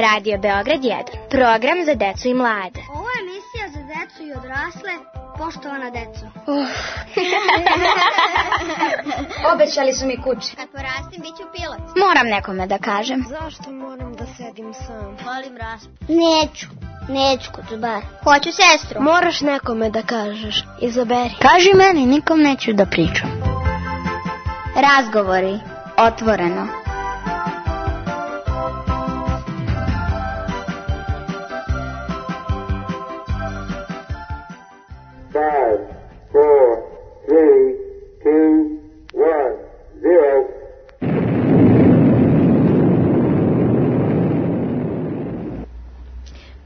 Radio Beograd 1, program za decu i mlade. Ovo je emisija za decu i odrasle, poštovana deco. Obećali su mi kuće. Kad porastim, bit ću pilot. Moram nekome da kažem. Zašto moram da sedim sam? Volim rasp. Neću, Kucubar. Hoću sestru. Moraš nekome da kažeš. Izaberi. Kaži meni, nikom neću da pričam. Razgovori, otvoreno.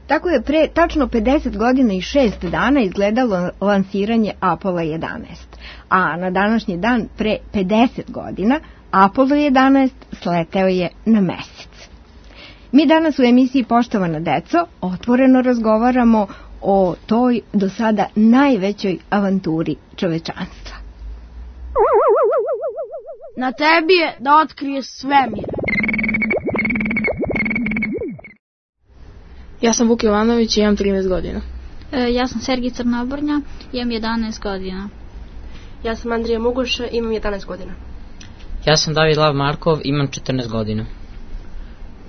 Tako je pre tačno 50 godina i 6 dana izgledalo lansiranje Apollo 11. A na današnji dan pre 50 godina Apollo 11 sleteo je na Mesec. Mi danas u emisiji Poštovana deco otvoreno razgovaramo o toj do sada najvećoj avanturi čovečanstva. Na tebi je da otkriješ svemir. Ja sam Vuk Jovanović i imam 13 godina. Ja sam Sergij Crnobornja, imam 11 godina. Ja sam Andrija Mugoša, imam 11 godina. Ja sam David Lav Markov, imam 14 godina.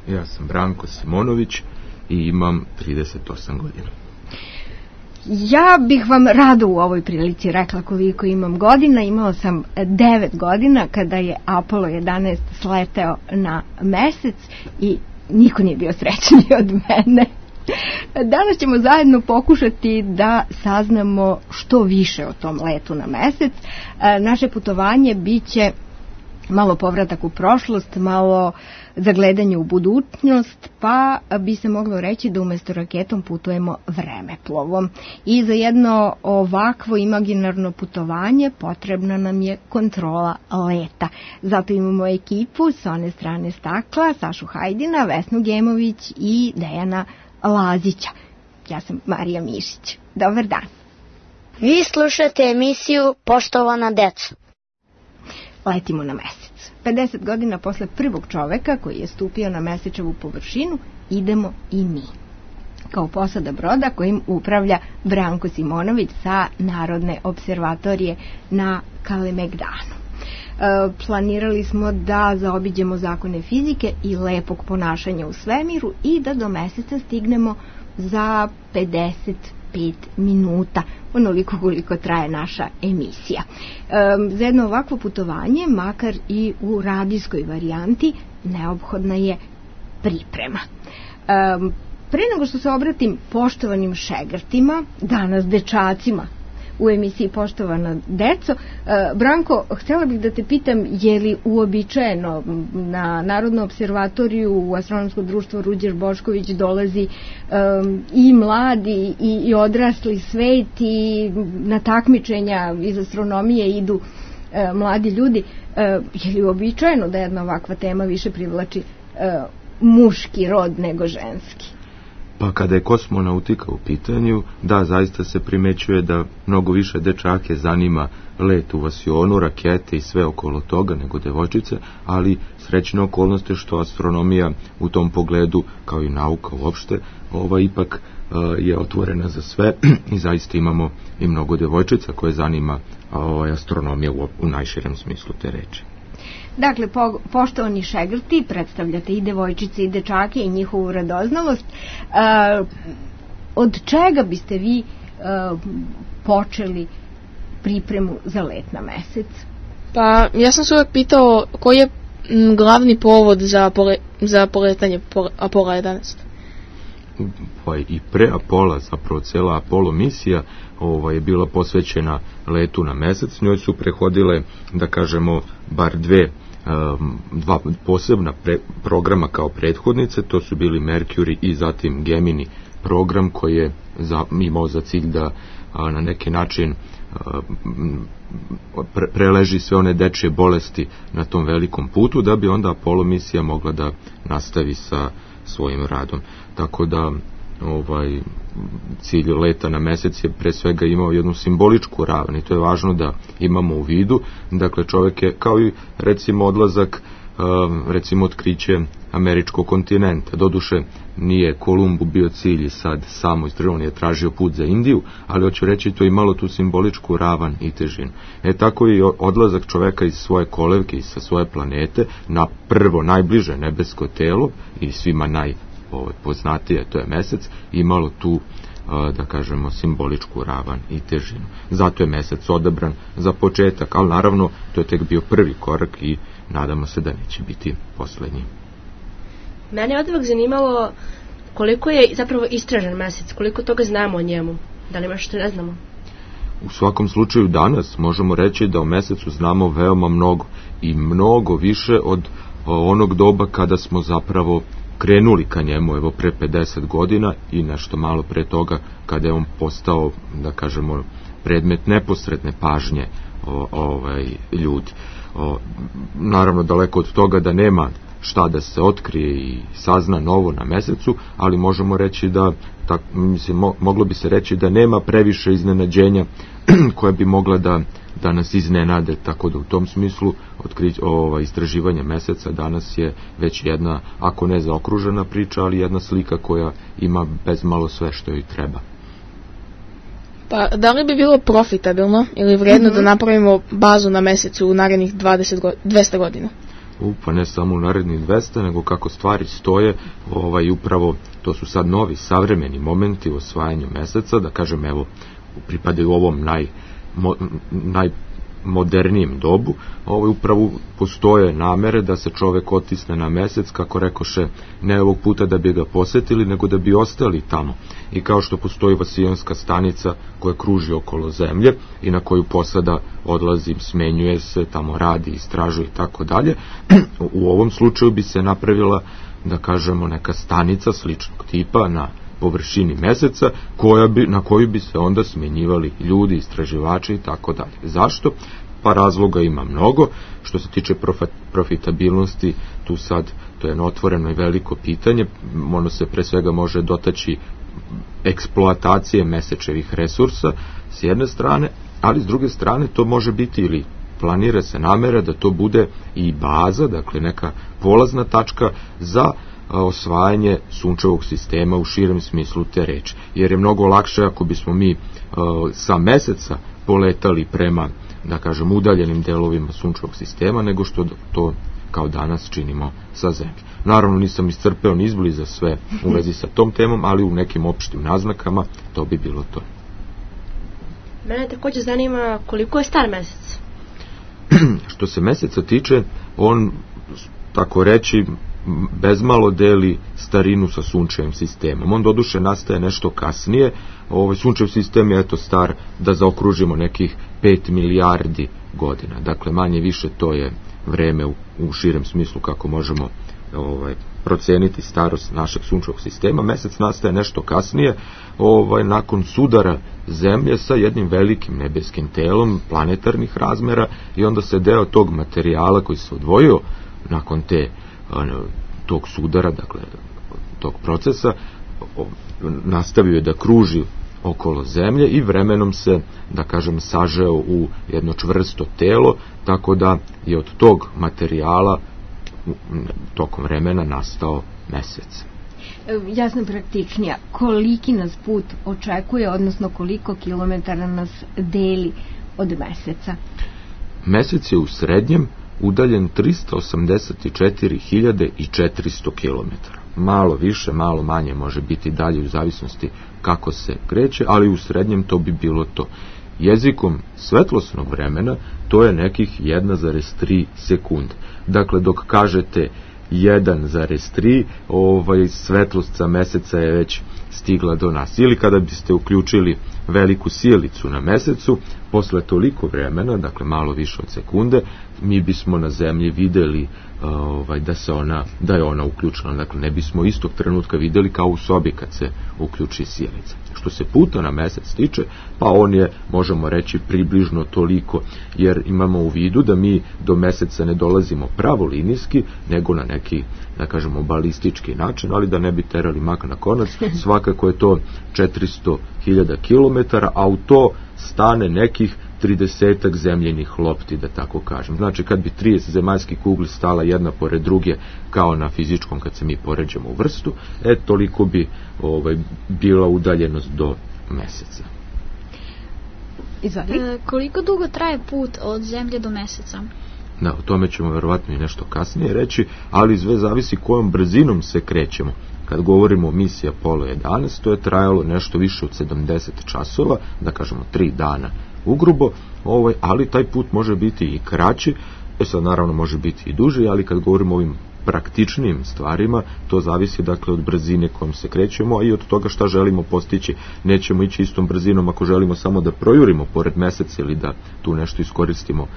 Ja sam Branko Simonović i imam 38 godina. Ja bih vam rado u ovoj prilici rekla koliko imam godina. Imala sam 9 godina kada je Apollo 11 sleteo na Mesec i niko nije bio srećniji od mene. Danas ćemo zajedno pokušati da saznamo što više o tom letu na Mesec. Naše putovanje biće malo povratak u prošlost, malo zagledanje u budućnost, pa bi se moglo reći da umjesto raketom putujemo vremeplovom. I za jedno ovakvo imaginarno putovanje potrebna nam je kontrola leta. Zato imamo ekipu s one strane stakla, Sašu Hajdina, Vesnu Gemović i Dejana Lazića. Ja sam Marija Mišić. Dobar dan. Vi slušate emisiju Poštovana deco. Letimo na Mesec. 50 godina posle prvog čoveka koji je stupio na mesečevu površinu, idemo i mi. Kao posada broda kojim upravlja Branko Simonović sa Narodne observatorije na Kalemegdanu. Planirali smo da zaobiđemo zakone fizike i lepog ponašanja u svemiru i da do Meseca stignemo za 55 minuta, onoliko koliko traje naša emisija. Za jedno ovakvo putovanje, makar i u radijskoj varijanti, neophodna je priprema. Pre nego što se obratim poštovanim šegrtima, danas dečacima u emisiji Poštovana deco, Branko, htjela bih da te pitam, je li uobičajeno na Narodnu observatoriju u Astronomsko društvo Ruđer Bošković dolazi i mladi i odrasli svet i na takmičenja iz astronomije idu mladi ljudi? Je li uobičajeno da jedna ovakva tema više privlači muški rod nego ženski? Pa kada je kosmonautika u pitanju, da, zaista se primećuje da mnogo više dečake zanima let u vasionu, rakete i sve okolo toga nego devojčice, ali srećna okolnost je što astronomija u tom pogledu, kao i nauka uopšte, ipak je otvorena za sve i zaista imamo i mnogo devojčica koje zanima astronomija u najširem smislu te reči. Dakle, poštovani šegrti, predstavljate i devojčice i dečake i njihovu radoznalost. Od čega biste vi počeli pripremu za let na Mesec? Pa, ja sam se uvijek pitao koji je glavni povod za poletanje Apollo 11. Pa i pre Apola, zapravo cijela Apollo misija je bila posvećena letu na Mesec. Njoj su prehodile, da kažemo, bar dva posebna programa kao prethodnice. To su bili Mercury i zatim Gemini program koji je imao za cilj da na neki način preleži sve one dečje bolesti na tom velikom putu, da bi onda Apollo misija mogla da nastavi sa svojim radom. Tako da cilj leta na Mesec je pre svega imao jednu simboličku ravan i to je važno da imamo u vidu. Dakle, čovjek je, kao i recimo odlazak recimo otkriće američkog kontinenta. Doduše nije Kolumbu bio cilj i sad samo istraživao, on je tražio put za Indiju, ali hoću reći to imalo tu simboličku ravan i težinu. Tako i odlazak čoveka iz svoje kolevke i sa svoje planete na prvo najbliže nebesko telo i svima najpoznatije, to je Mesec, imalo tu da kažemo simboličku ravan i težinu. Zato je Mesec odabran za početak, ali naravno to je tek bio prvi korak i nadamo se da neće biti poslednji. Mene je odvek zanimalo koliko je zapravo istražen Mesec, koliko toga znamo o njemu, da li ima što ne znamo? U svakom slučaju danas možemo reći da o Mesecu znamo veoma mnogo i mnogo više od onog doba kada smo zapravo krenuli ka njemu, evo pre 50 godina i nešto malo pre toga kada je on postao, da kažemo, predmet neposredne pažnje ljudi. Naravno, daleko od toga da nema šta da se otkrije i sazna novo na Mesecu, ali možemo reći da, moglo bi se reći da nema previše iznenađenja koja bi mogla da nas iznenade, tako da u tom smislu istraživanje Meseca danas je već jedna, ako ne zaokružena priča, ali jedna slika koja ima bezmalo sve što joj treba. Pa da li bi bilo profitabilno ili vredno da napravimo bazu na Mesecu u narednih 200 godina? Pa ne samo u narednih 200, nego kako stvari stoje, upravo to su sad novi savremeni momenti u osvajanju Meseca, da kažem, evo, pripadaju ovom najmodernijem dobu, upravo postoje namere da se čovek otisne na Mesec, kako rekoše, ne ovog puta da bi ga posetili, nego da bi ostali tamo. I kao što postoji Vasijonska stanica koja kruži okolo Zemlje i na koju posada odlazi, smenjuje se, tamo radi, istražuje i tako dalje, u ovom slučaju bi se napravila, da kažemo, neka stanica sličnog tipa na površini Meseca, na koju bi se onda smenjivali ljudi, istraživači i tako dalje. Zašto? Pa razloga ima mnogo. Što se tiče profitabilnosti, tu sad to je otvoreno i veliko pitanje. Ono se pre svega može dotaći eksploatacije mesečevih resursa s jedne strane, ali s druge strane to može biti ili planira se namera da to bude i baza, dakle neka polazna tačka za osvajanje sunčevog sistema u širem smislu te reči. Jer je mnogo lakše ako bismo mi sa Meseca poletali prema, da kažem, udaljenim delovima sunčevog sistema, nego što to kao danas činimo sa Zemlje. Naravno, nisam iscrpeo ni izbliza sve u vezi sa tom temom, ali u nekim opštim naznakama to bi bilo to. Mene također zanima koliko je star Mesec. Što se Meseca tiče, on, tako reći, bezmalo deli starinu sa sunčevim sistemom. On doduše nastaje nešto kasnije. Sunčev sistem je star, da zaokružimo, nekih 5 milijardi godina. Dakle, manje više to je vreme u širem smislu kako možemo proceniti starost našeg sunčevog sistema. Mesec nastaje nešto kasnije, nakon sudara Zemlje sa jednim velikim nebeskim telom planetarnih razmera, i onda se deo tog materijala koji se odvojio nakon tog sudara, dakle tog procesa, nastavio je da kruži okolo Zemlje i vremenom se, da kažem, sažeo u jedno čvrsto telo, tako da je od tog materijala tokom vremena nastao Mesec. Ja sam praktičnija. Koliki nas put očekuje, odnosno koliko kilometara nas deli od Meseca? Mesec je u srednjem udaljen 384.400 km. Malo više, malo manje može biti dalje u zavisnosti kako se kreće, ali u srednjem to bi bilo to. Jezikom svetlosnog vremena to je nekih 1,3 sekunde. Dakle, dok kažete 1,3, svetlost sa Meseca je već stigla do nas. Ili kada biste uključili veliku sijalicu na Mesecu, posle toliko vremena, dakle malo više od sekunde, mi bismo na Zemlji videli da je ona uključena. Dakle, ne bismo istog trenutka videli kao u sobi kad se uključi sijalica. Što se puta na Mesec tiče, pa on je, možemo reći, približno toliko, jer imamo u vidu da mi do Meseca ne dolazimo pravolinijski, nego na neki, da kažemo, balistički način, ali da ne bi terali mak na konac, svakako je to 400.000 km, a u to stane nekih 30 zemljenih lopti, da tako kažem. Znači, kad bi 30 zemaljskih kugli stala jedna pored druge, kao na fizičkom kad se mi poređamo u vrstu, toliko bi bila udaljenost do meseca. Koliko dugo traje put od Zemlje do Meseca? Da, o tome ćemo verovatno i nešto kasnije reći, ali sve zavisi kojom brzinom se krećemo. Kad govorimo o misiji Apollo 11, to je trajalo nešto više od 70 časova, da kažemo 3 dana ugrubo, ali taj put može biti i kraći, sad naravno može biti i duži, ali kad govorimo o ovim praktičnim stvarima, to zavisi dakle od brzine kojom se krećemo, a i od toga šta želimo postići. Nećemo ići istom brzinom ako želimo samo da projurimo pored meseca ili da tu nešto iskoristimo,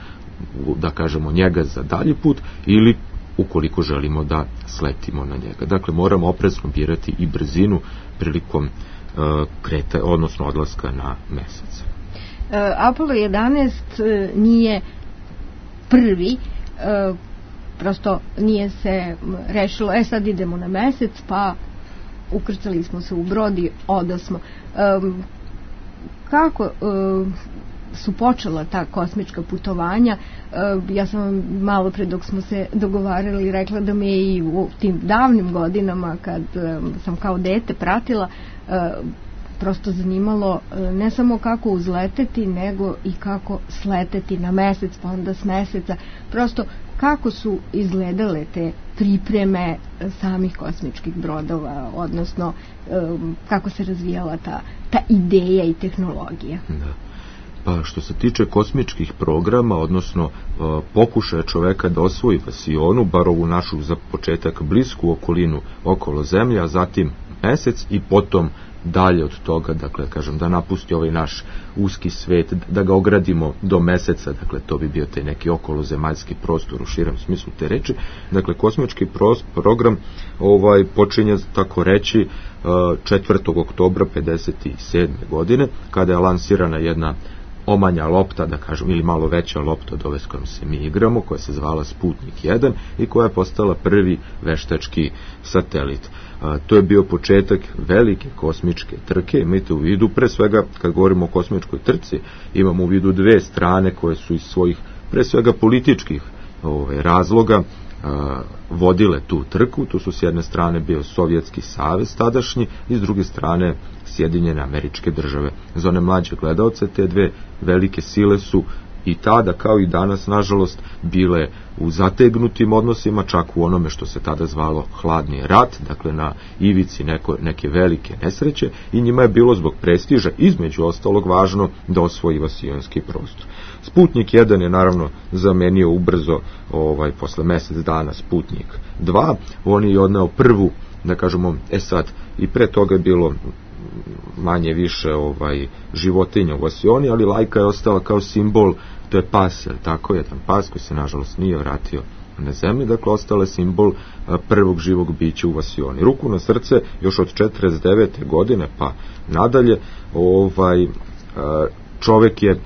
da kažemo, njega za dalji put, ili ukoliko želimo da sletimo na njega. Dakle, moramo oprezno birati i brzinu prilikom odnosno odlaska na mesec. Apollo 11 nije prvi, prosto nije se rešilo, sad idemo na mesec, pa ukrcali smo se u brod i odasmo. Kako su počela ta kosmička putovanja? Ja sam vam malo pre dok smo se dogovarali rekla da me i u tim davnim godinama kad sam kao dete pratila, prosto zanimalo ne samo kako uzleteti, nego i kako sleteti na mesec, pa onda s meseca, prosto kako su izgledale te pripreme samih kosmičkih brodova, odnosno kako se razvijala ta ideja i tehnologija. Da. Pa što se tiče kosmičkih programa, odnosno pokušaja čoveka da osvoji vasionu, bar ovu našu za početak blisku okolinu okolo Zemlje, a zatim mesec i potom dalje od toga, dakle, kažem, da napusti ovaj naš uski svet, da ga ogradimo do meseca, dakle, to bi bio taj neki okolozemaljski prostor u širem smislu te reči. Dakle, kosmički program počinje, tako reći, 4. oktobra 57. godine, kada je lansirana jedna omanja lopta, da kažem, ili malo veća lopta od ove s kojom se mi igramo, koja se zvala Sputnik 1 i koja je postala prvi veštački satelit. To je bio početak velike kosmičke trke. Imajte u vidu, pre svega, kad govorimo o kosmičkoj trci, imamo u vidu dve strane koje su iz svojih, pre svega, političkih razloga vodile tu trku. Tu su s jedne strane bio Sovjetski savez tadašnji i s druge strane Sjedinjene Američke Države. Za one mlađe gledaoce, te dve velike sile su i tada, kao i danas, nažalost, bile u zategnutim odnosima, čak u onome što se tada zvalo hladni rat, dakle na ivici neke velike nesreće, i njima je bilo zbog prestiža, između ostalog, važno da osvoji vasionski prostor. Sputnik 1 je naravno zamenio ubrzo, posle mesec dana, Sputnik 2, on je odneo prvu, da kažemo, sad, i pre toga je bilo manje više životinja u vasioni, ali lajka je ostala kao simbol, to je pas, jer tako, jedan pas koji se nažalost nije vratio na zemlji, dakle ostala je simbol prvog živog bića u vasioni. Ruku na srce, još od 49. godine pa nadalje, čovek je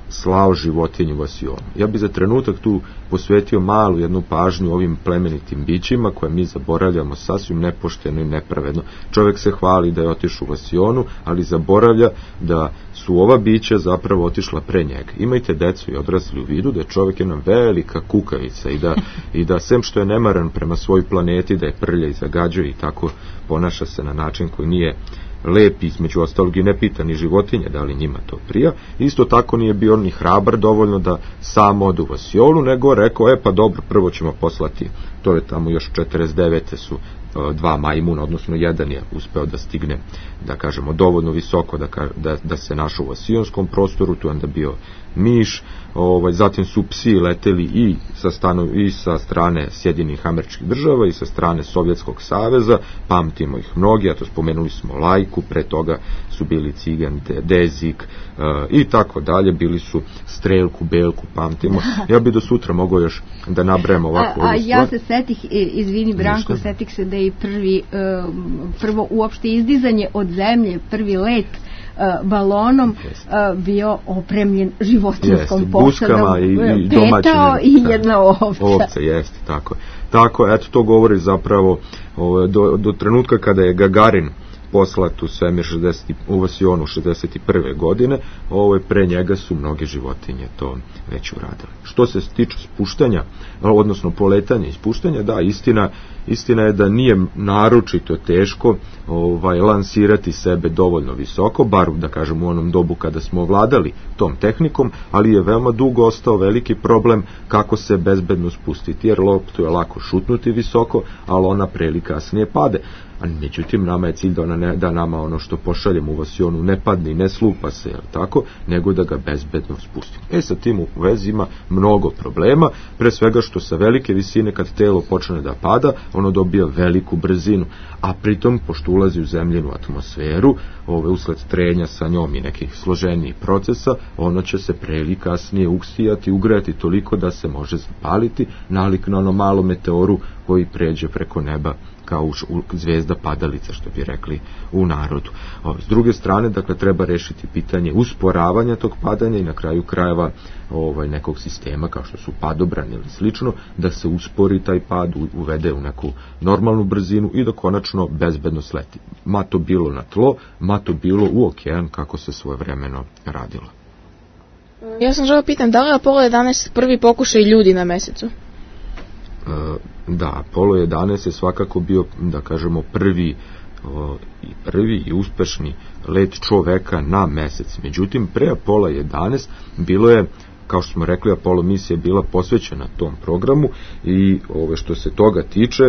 slao životinju u vasionu. Ja bi za trenutak tu posvetio malu jednu pažnju ovim plemenitim bićima koje mi zaboravljamo sasvim nepošteno i nepravedno. Čovjek se hvali da je otišao u vasionu, ali zaboravlja da su ova bića zapravo otišla pre njega. Imajte decu i odrasli u vidu da je čovjek jedna velika kukavica i da sem što je nemaran prema svojoj planeti, da je prlja i zagađuje i tako ponaša se na način koji nije lep, između ostalog i ne pita ni životinje da li njima to prija. Isto tako nije bio ni hrabar dovoljno da sam odu u vasionu, nego rekao, pa dobro, prvo ćemo poslati, to je tamo još 49. su dva majmuna, odnosno jedan je uspeo da stigne, da kažemo, dovoljno visoko da se našao u vasionskom prostoru, tu je onda bio miš, zatim su psi leteli i sa strane Sjedinjenih Američkih Država i sa strane Sovjetskog saveza, pamtimo ih mnogi, a to spomenuli smo Lajku, pre toga su bili Cigan, Dezik i tako dalje, bili su Strelku, Belku, pamtimo. Ja bi do sutra mogao još da nabrajam ovako ovu stvar. Ja se setih, izvini Branko, setih se da je prvo uopšte izdizanje od zemlje, prvi let balonom bio opremljen životinjskom posadom, petao i jedna ovca. Ovca, jeste, tako. Tako, eto, to govori zapravo do trenutka kada je Gagarin poslat u svemir u vasionu 61. godine, pre njega su mnoge životinje to već uradile. Što se tiče spuštanja, odnosno poletanja i spuštanja, da, istina je da nije naročito teško lansirati sebe dovoljno visoko, bar da kažem u onom dobu kada smo vladali tom tehnikom, ali je veoma dugo ostao veliki problem kako se bezbedno spustiti, jer loptu je lako šutnuti visoko, ali ona pre ili kasnije pade. Međutim, nama je cilj da nama ono što pošaljemo u vasionu ne padne i ne slupa se, tako, nego da ga bezbedno spustimo. Sa tim u vezi ima mnogo problema, pre svega što sa velike visine kad telo počne da pada, ono dobija veliku brzinu, a pritom, pošto ulazi u zemljenu atmosferu, usled trenja sa njom i nekih složenijih procesa, ono će se pre ili kasnije uksijati, ugrejati toliko da se može zapaliti, nalik na ono malo meteoru koji pređe preko neba kao zvezda padalica, što bi rekli u narodu. S druge strane, dakle, treba rešiti pitanje usporavanja tog padanja i na kraju krajeva nekog sistema kao što su padobrani ili slično, da se uspori taj pad, uvede u neku normalnu brzinu i da konačno bezbedno sleti. Ma to bilo na tlo, ma to bilo u okean, kako se svojevremeno radilo. Ja sam želeo pitam, da li je Apollo 11 prvi pokušaj ljudi na mesecu? Da, Apollo 11 je svakako bio, da kažemo, prvi i uspešni let čoveka na mesec. Međutim, pre Apollo 11 bilo je, kao što smo rekli, Apollo misija bila posvećena tom programu i što se toga tiče,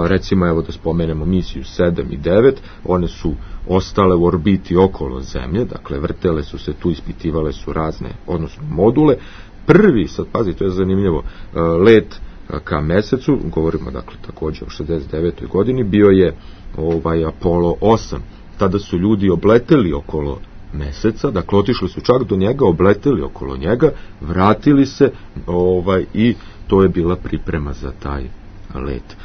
recimo, evo da spomenemo misiju 7 i 9, one su ostale u orbiti okolo Zemlje, dakle vrtele su se tu, ispitivale su razne, odnosno module. Prvi, sad pazi, to je zanimljivo, let ka mesecu, govorimo dakle takođe o 69. godini, bio je Apollo 8. Tada su ljudi obleteli okolo meseca, dakle otišli su čak do njega, obleteli okolo njega, vratili se i to je bila priprema za taj let.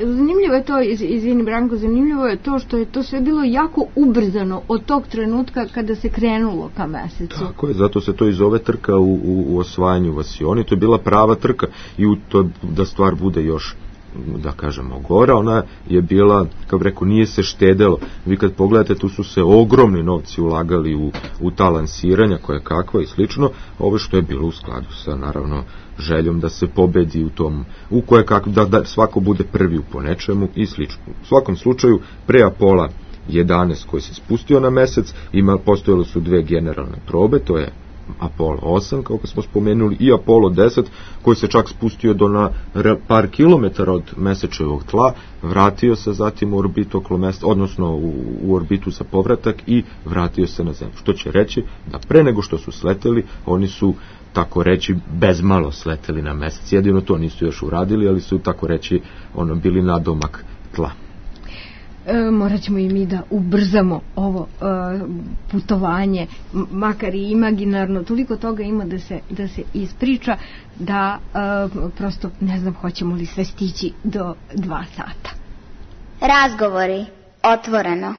Zanimljivo je to, izvini Branko, zanimljivo je to što je to sve bilo jako ubrzano od tog trenutka kada se krenulo ka mesecu. Tako je, zato se to i zove trka u osvajanju vasioni, to je bila prava trka i da stvar bude još, da kažemo, gora, ona je bila, kao rekao, nije se štedelo. Vi kad pogledate, tu su se ogromni novci ulagali u ta lansiranja, koje kakva i slično, ovo što je bilo u skladu sa, naravno, željom da se pobedi u tom, u koje kako, da svako bude prvi po nečemu i slično. U svakom slučaju, pre Apollo 11 koji se spustio na mesec, postojale su dve generalne probe, to je Apollo 8, kako smo spomenuli, i Apollo 10, koji se čak spustio na par kilometara od mesečevog tla, vratio se zatim u orbitu okolo meseca, odnosno u orbitu za povratak i vratio se na Zemlju. Što će reći da pre nego što su sleteli, oni su, tako reći, bezmalo sleteli na mesec. Jedino to nisu još uradili, ali su, tako reći, bili nadomak tla. Morat ćemo i mi da ubrzamo ovo putovanje, makar i imaginarno, toliko toga ima da se ispriča, da prosto ne znam hoćemo li sve stići do 2 sata. Razgovori otvoreno.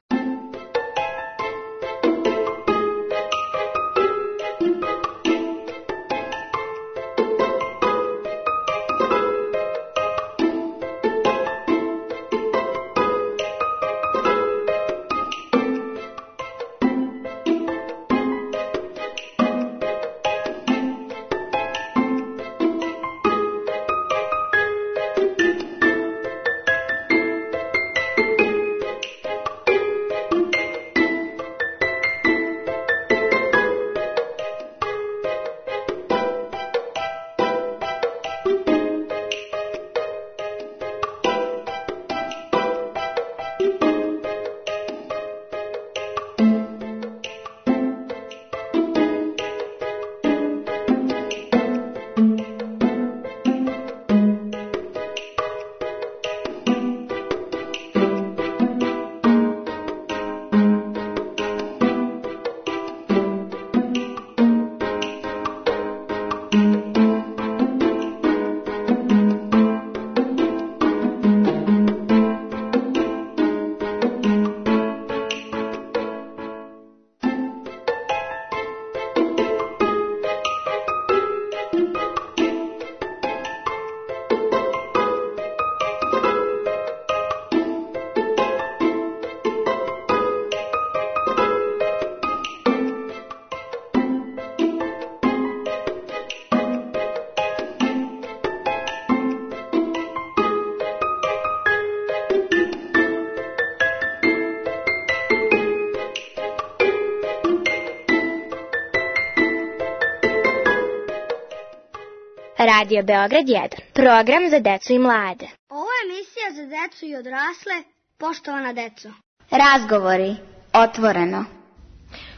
Radio Beograd 1. Program za decu i mlade. Ovo je emisija za decu i odrasle, poštovana deco. Razgovori. Otvoreno.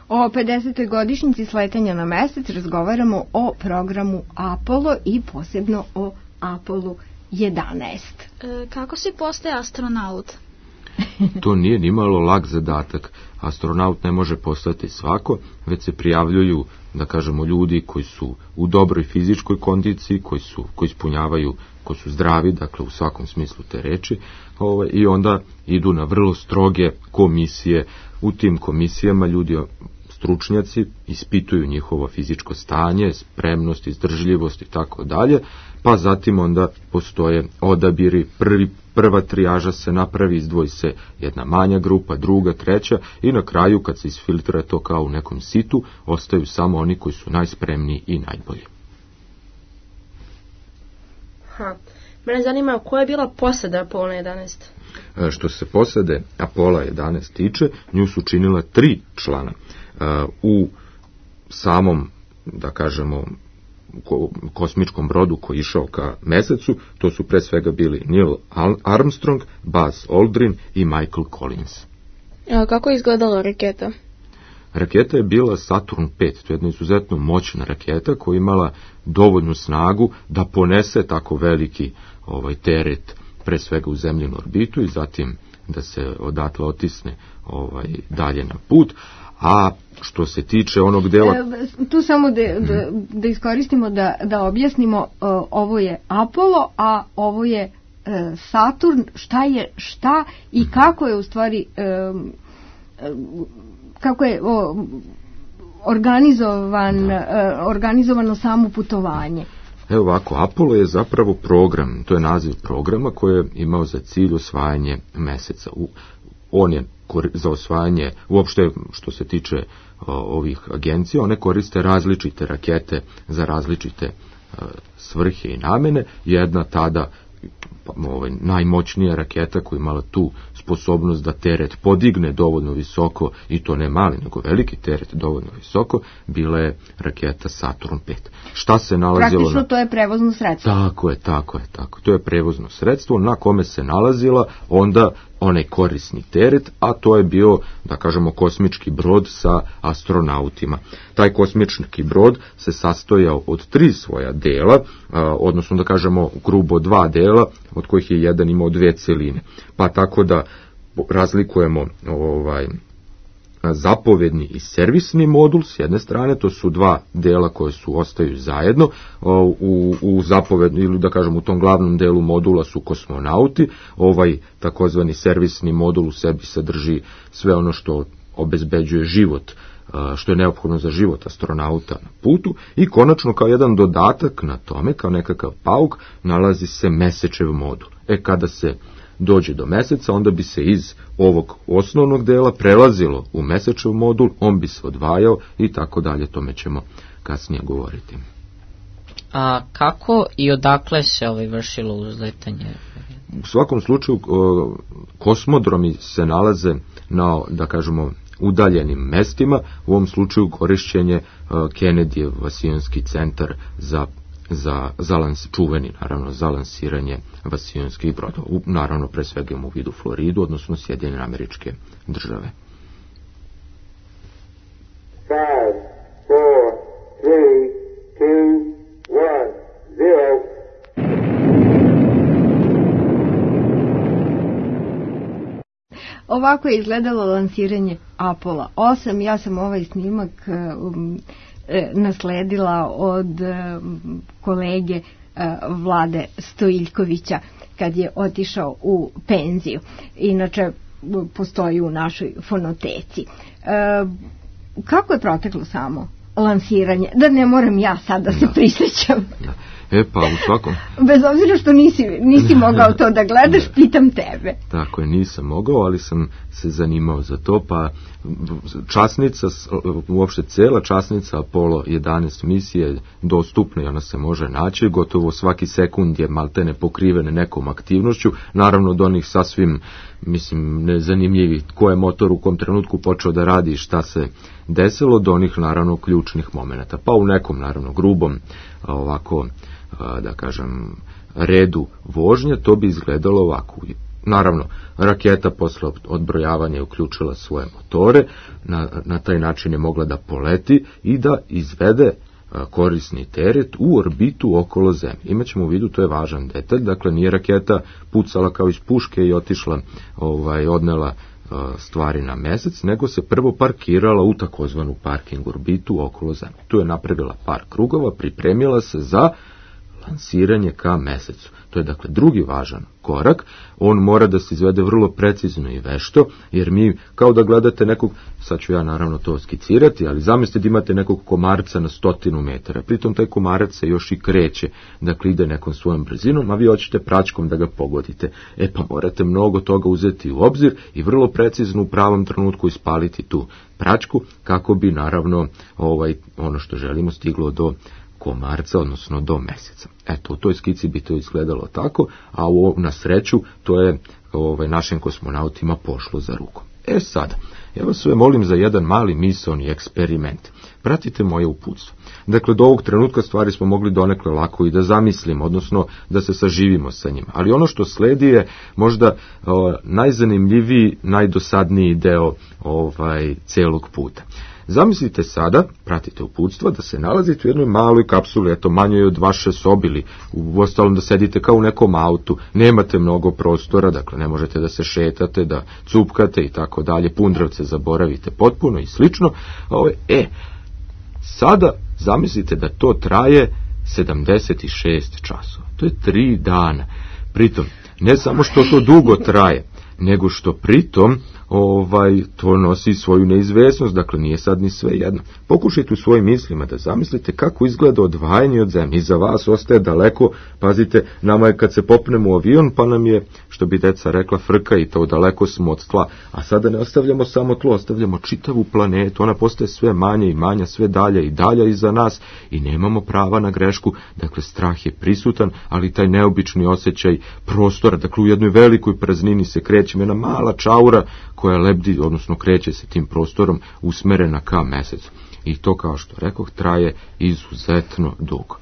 O 50. godišnjici sletanja na mesec razgovaramo o programu Apollo i posebno o Apollo 11. Kako se postaje astronaut? To nije nimalo lak zadatak. Astronaut ne može postati svako, već se prijavljuju, da kažemo, ljudi koji su u dobroj fizičkoj kondiciji, koji ispunjavaju, koji su zdravi, dakle u svakom smislu te reči, i onda idu na vrlo stroge komisije. U tim komisijama ljudi, stručnjaci, ispituju njihovo fizičko stanje, spremnost, izdržljivost i tako dalje, pa zatim onda postoje odabiri, prva trijaža se napravi, izdvoji se jedna manja grupa, druga, treća i na kraju kad se isfiltrira to kao u nekom situ, ostaju samo oni koji su najspremniji i najbolji. Mene zanima koja je bila posada Apollo 11? Što se posade Apollo 11 tiče, nju su činila 3 člana. U samom, da kažemo, kosmičkom brodu koji je išao ka mesecu, to su pre svega bili Neil Armstrong, Buzz Aldrin i Michael Collins. A kako je izgledala raketa? Raketa je bila Saturn V, to je jedna izuzetno moćna raketa koja je imala dovoljnu snagu da ponese tako veliki teret pre svega u zemljinu orbitu i zatim da se odatle otisne dalje na put. A što se tiče onog dela... Tu samo da iskoristimo, da objasnimo, ovo je Apollo, a ovo je Saturn. Šta je šta i kako je u stvari... kako je organizovano samo putovanje. Evo ovako, Apollo je zapravo program, to je naziv programa koji je imao za cilj osvajanje meseca. On je za osvajanje, uopšte što se tiče ovih agencija, one koriste različite rakete za različite svrhe i namene. Jedna tada najmoćnija raketa koja je imala tu sposobnost da teret podigne dovoljno visoko, i to ne mali, nego veliki teret dovoljno visoko, bila je raketa Saturn V. Šta se nalazilo? Praktično to je prevozno sredstvo. Tako je. To je prevozno sredstvo na kome se nalazila onda onaj korisni teret, a to je bio, da kažemo, kosmički brod sa astronautima. Taj kosmički brod se sastojao od 3 svoja dela, odnosno da kažemo grubo 2 dela, od kojih je jedan imao 2 celine. Pa tako da razlikujemo zapovedni i servisni modul s jedne strane, to su 2 dela koje ostaju zajedno. U zapovedni, ili da kažem u tom glavnom delu modula su kosmonauti. Takozvani servisni modul u sebi sadrži sve ono što obezbeđuje život, što je neophodno za život astronauta na putu, i konačno kao jedan dodatak na tome, kao nekakav pauk, nalazi se mesečev modul. Kada se dođe do meseca, onda bi se iz ovog osnovnog dela prelazilo u mesečev modul, on bi se odvajao i tako dalje, tome ćemo kasnije govoriti. A kako i odakle se vršilo uzletanje? U svakom slučaju, kosmodromi se nalaze na, da kažemo, udaljenim mestima. U ovom slučaju korišćen je Kennedyjev vasijonski centar čuveni, naravno, za lansiranje vasijonskih brodova. Naravno, pre svega u vidu Floridu, odnosno Sjedinjene Američke Države. 5, 4, 3, 2, 1, 0. Ovako je izgledalo lansiranje Apollo 8. Ja sam ovaj snimak nasledila od kolege Vlade Stojiljkovića kad je otišao u penziju. Inače, postoji u našoj fonoteci. Kako je proteklo samo lansiranje? Da ne moram ja sad da se prisjećam. Pa u svakom... Bez obzira što nisi mogao to da gledaš, pitam tebe. Tako je, nisam mogao, ali sam se zanimao za to, pa časnica, uopšte cela časnica Apollo 11 misije je dostupna i ona se može naći, gotovo svaki sekund je maltene pokrivene nekom aktivnošću, naravno od onih sasvim, nezanimljivi ko je motor u kom trenutku počeo da radi i šta se desilo, do onih naravno ključnih momenata. Pa u nekom naravno grubom ovako da kažem, redu vožnje, to bi izgledalo ovako. Naravno, raketa posle odbrojavanja je uključila svoje motore, na taj način je mogla da poleti i da izvede korisni teret u orbitu okolo Zemlje. Imaćemo u vidu, to je važan detalj, dakle nije raketa pucala kao iz puške i otišla, odnela stvari na mesec, nego se prvo parkirala u takozvanu parking orbitu okolo Zemlje. Tu je napravila par krugova, pripremila se za lansiranje ka mesecu. To je dakle drugi važan korak. On mora da se izvede vrlo precizno i vešto, jer mi kao da gledate nekog, sad ću ja naravno to skicirati, ali zamislite da imate nekog komarca na 100 metara. Pritom taj komarac se još i kreće, dakle ide nekom svojom brzinom, a vi hoćete praćkom da ga pogodite. Pa morate mnogo toga uzeti u obzir i vrlo precizno u pravom trenutku ispaliti tu praćku, kako bi naravno ono što želimo stiglo do komarca, odnosno do meseca. Eto, u toj skici bi to izgledalo tako, a na sreću to je našim kosmonautima pošlo za rukom. Sada, ja vas sve molim za jedan mali misaoni eksperiment. Pratite moje uputstvo. Dakle, do ovog trenutka stvari smo mogli donekle lako i da zamislimo, odnosno da se saživimo sa njima. Ali ono što sledi je možda najzanimljiviji, najdosadniji deo celog puta. Zamislite sada, pratite uputstva, da se nalazite u jednoj maloj kapsuli, manjoj od vaše sobe ili u ostalom da sedite kao u nekom autu, nemate mnogo prostora, dakle ne možete da se šetate, da cupkate i tako dalje, pundravce zaboravite potpuno i slično. Sada zamislite da to traje 76 časova. To je 3 dana. Pritom, ne samo što to dugo traje, nego što pritom to nosi svoju neizvesnost, dakle nije sad ni sve jedno. Pokušajte u svojim mislima da zamislite kako izgleda odvajanje od Zemlje. Iza vas ostaje daleko, pazite, nama je kad se popnemo u avion, pa nam je, što bi deca rekla, frka i to daleko smo od tla. A sada ne ostavljamo samo tlo, ostavljamo čitavu planetu, ona postaje sve manja i manja, sve dalje i dalje iza nas i nemamo prava na grešku, dakle strah je prisutan, ali taj neobični osjećaj prostora, dakle u jednoj velikoj praznini se kreće jedna mala čaura koja lebdi, odnosno kreće se tim prostorom usmerena ka mesecu. I to, kao što rekoh, traje izuzetno dugo.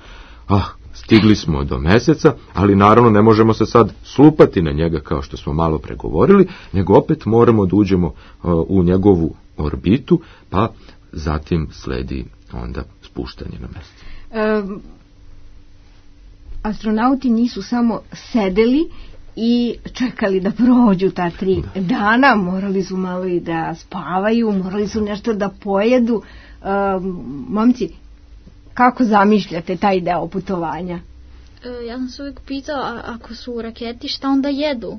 Stigli smo do meseca, ali naravno ne možemo se sad slupati na njega kao što smo malo pregovorili, nego opet moramo da uđemo u njegovu orbitu, pa zatim sledi onda spuštanje na mesec. Astronauti nisu samo sedeli i čekali da prođu ta 3 dana, morali su malo i da spavaju, morali su nešto da pojedu. Momci, kako zamišljate taj deo putovanja? Ja sam se uvijek pitao, ako su u raketi, šta onda jedu?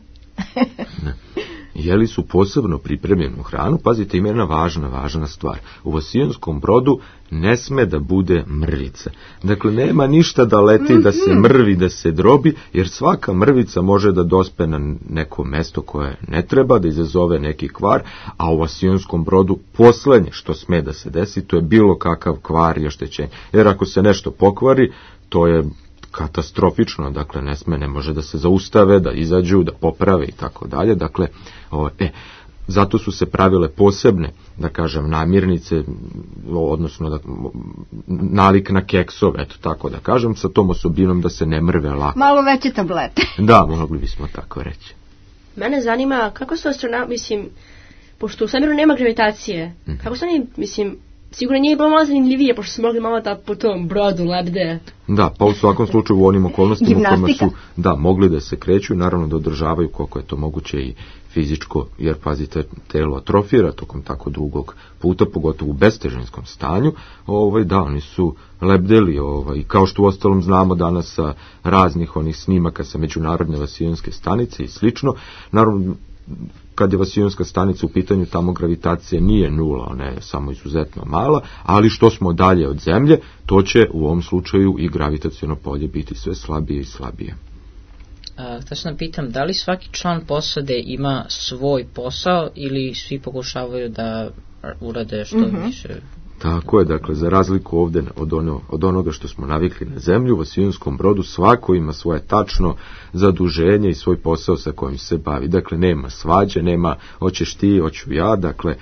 Jeli su posebno pripremljenu hranu, pazite, ima jedna važna stvar. U vasionskom brodu ne sme da bude mrvica. Dakle, nema ništa da leti, da se mrvi, da se drobi, jer svaka mrvica može da dospe na neko mesto koje ne treba, da izazove neki kvar, a u vasionskom brodu poslednje što sme da se desi, to je bilo kakav kvar i oštećenje. Jer ako se nešto pokvari, to je katastrofično, dakle ne može da se zaustave, da izađu, da poprave i tako dalje. Dakle, zato su se pravile posebne, da kažem, namirnice, odnosno nalik na keksove, eto tako da kažem, sa tom osobinom da se ne mrve lako. Malo veće tablete. Da, mogli bismo tako reći. Mene zanima kako su astronauti, pošto u svemiru nema gravitacije, kako su oni, sigurno nije bilo malo zanimljivije, pošto su mogli malo da po tom brodu lebde. Da, pa u svakom slučaju u onim okolnostima u kojima su mogli da se kreću, naravno da održavaju koliko je to moguće i fizičko, jer pazite, telo atrofira tokom tako dugog puta, pogotovo u bestežinskom stanju, oni su lebdeli, i kao što u ostalom znamo danas sa raznih onih snimaka sa međunarodne vasionske stanice i slično, naravno, kad je vasionska stanica u pitanju, tamo gravitacija nije nula, ona je samo izuzetno mala, ali što smo dalje od Zemlje, to će u ovom slučaju i gravitaciono polje biti sve slabije i slabije. Htio sam pitam, da li svaki član posade ima svoj posao ili svi pokušavaju da urade što više? Tako je, dakle, za razliku ovde od onoga što smo navikli na zemlju, u Vasionskom Brodu svako ima svoje tačno zaduženje i svoj posao sa kojim se bavi. Dakle, nema svađe, nema hoćeš ti, hoću ja, dakle,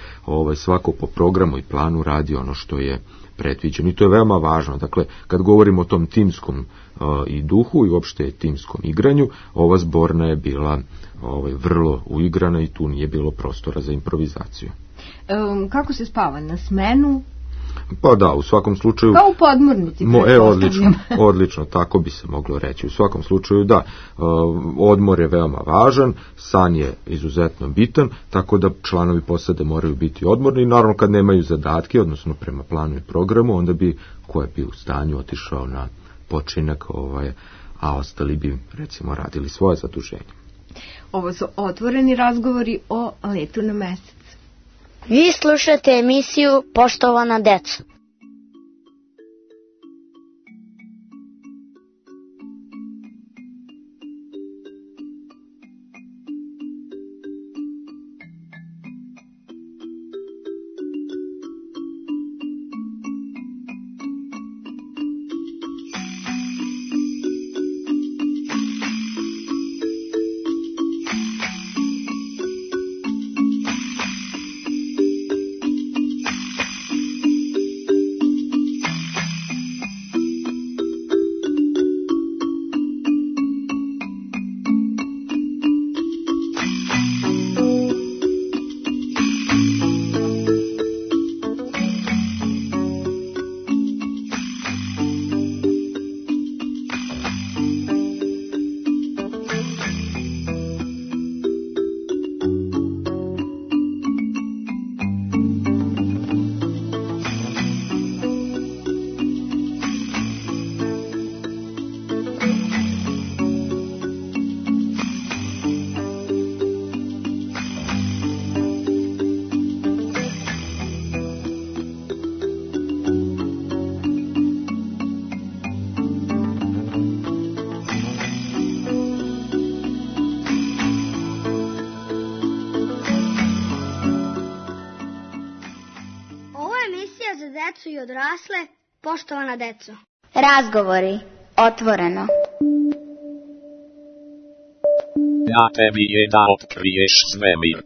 svako po programu i planu radi ono što je predviđeno. I to je veoma važno. Dakle, kad govorimo o tom timskom i duhu i uopšte timskom igranju, ova zborna je bila vrlo uigrana i tu nije bilo prostora za improvizaciju. Kako se spava? Na smenu? Pa da, u svakom slučaju... Kao u podmornici. Odlično, tako bi se moglo reći. U svakom slučaju, da, odmor je veoma važan, san je izuzetno bitan, tako da članovi posade moraju biti odmorni i naravno kad nemaju zadatke, odnosno prema planu i programu, onda bi ko je bio u stanju otišao na počinak, a ostali bi, recimo, radili svoje zaduženje. Ovo su otvoreni razgovori o letu na mesec. Vi slušate emisiju Poštovana deco. Decu i odrasle, poštovana deco. Razgovori, otvoreno. Ja tebi je da otkriješ svemir.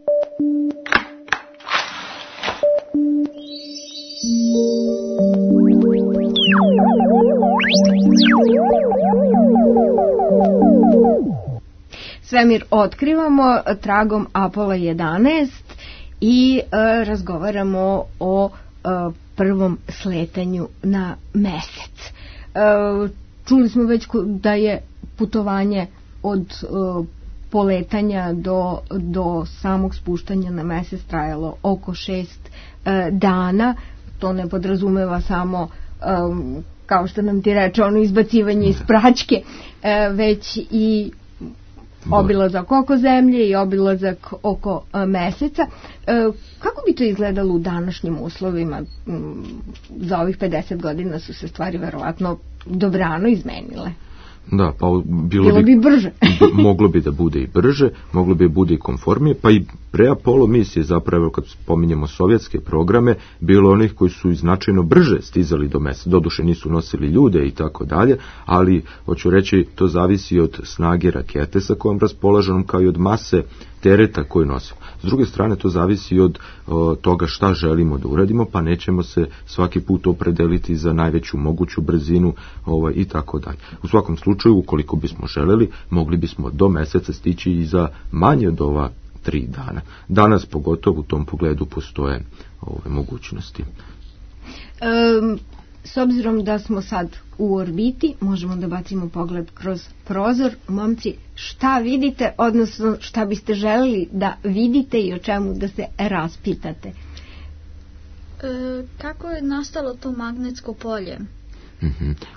Svemir otkrivamo tragom Apola 11 i razgovaramo o prvom sletanju na mesec. Čuli smo već da je putovanje od poletanja do samog spuštanja na mesec trajalo oko 6 dana. To ne podrazumeva samo, kao što nam ti reče, ono izbacivanje iz praćke, već i obilazak oko zemlje i obilazak oko meseca. Kako bi to izgledalo u današnjim uslovima? Za ovih 50 godina su se stvari verovatno dobrano izmenile. Da, pa bilo bi brže. Moglo bi da bude i brže, moglo bi da bude i konformije, pa i pre Apollo misije, zapravo kad spominjemo sovjetske programe, bilo onih koji su značajno brže stizali do mesta. Doduše nisu nosili ljude i tako dalje, ali hoću reći, to zavisi od snage rakete sa kojom raspolažemo, kao i od mase tereta koju nosimo. S druge strane, to zavisi od toga šta želimo da uradimo, pa nećemo se svaki put opredeliti za najveću moguću brzinu i tako dalje. U svakom slučaju, ukoliko bismo želeli, mogli bismo do meseca stići i za manje od ova 3 dana. Danas pogotovo u tom pogledu postoje ove mogućnosti. S obzirom da smo sad u orbiti, možemo da bacimo pogled kroz prozor. Momci, šta vidite, odnosno šta biste želeli da vidite i o čemu da se raspitate? Kako je nastalo to magnetsko polje?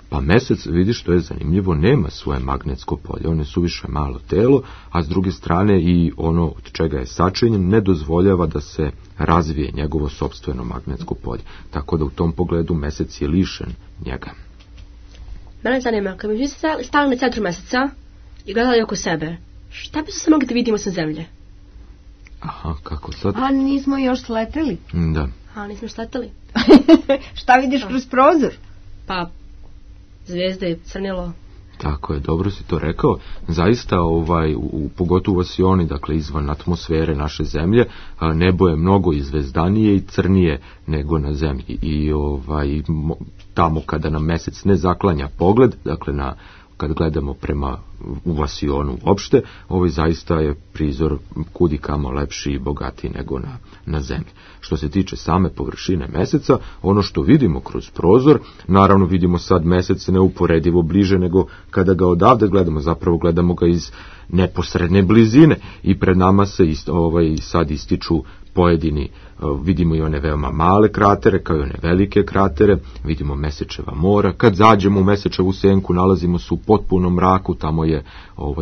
Pa mesec, vidiš, što je zanimljivo, nema svoje magnetsko polje, on je suviše malo telo, a s druge strane i ono od čega je sačinjen ne dozvoljava da se razvije njegovo sopstveno magnetsko polje, tako da u tom pogledu mesec je lišen njega. Mene zanima, kad bi stali na centru meseca i gledali oko sebe, šta bi se mogli da vidimo sa zemlje? Aha, kako sad? A nismo još sleteli? Da. A, nismo štatali. Šta vidiš kroz prozor? Pa, zvijezde, crnilo. Tako je, dobro si to rekao. Zaista, pogotovo vasioni, dakle izvan atmosfere naše zemlje, nebo je mnogo izvezdanije i crnije nego na zemlji. I tamo kada nam mesec ne zaklanja pogled, dakle kad gledamo prema u vasionu uopšte, zaista je prizor kudi kamo lepši i bogatiji nego na zemlji. Što se tiče same površine meseca, ono što vidimo kroz prozor, naravno vidimo sad mesec neuporedivo bliže nego kada ga odavde gledamo, zapravo gledamo ga iz neposredne blizine i pred nama se sad ističu pojedini, vidimo i one veoma male kratere, kao i one velike kratere, vidimo Mesečeva mora. Kad zađemo u Mesečevu senku, nalazimo se u potpunom mraku, tamo je,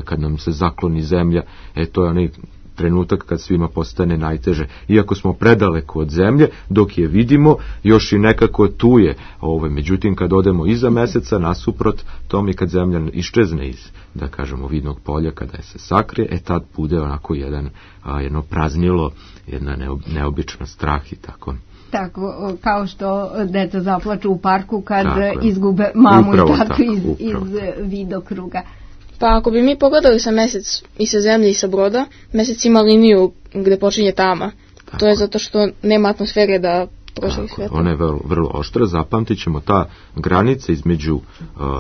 kad nam se zakloni zemlja, to je onaj trenutak kad svima postane najteže. Iako smo predaleko od zemlje, dok je vidimo, još i nekako tu je. Međutim, kad odemo iza meseca, nasuprot tome, kad zemlja iščezne iz, da kažemo, vidnog polja, kada je se sakrije, tad bude onako jedno praznilo, jedna neobična strah i tako. Tako, kao što deca zaplaču u parku kad izgube mamu upravo i tatu iz vidokruga. Pa ako bi mi pogledali sa mesec i sa zemlje i sa broda, mesec ima liniju gde počinje tama. Tako. To je zato što nema atmosfere da prošli svetlo. Ona je vrlo oštra, zapamtit ćemo ta granica između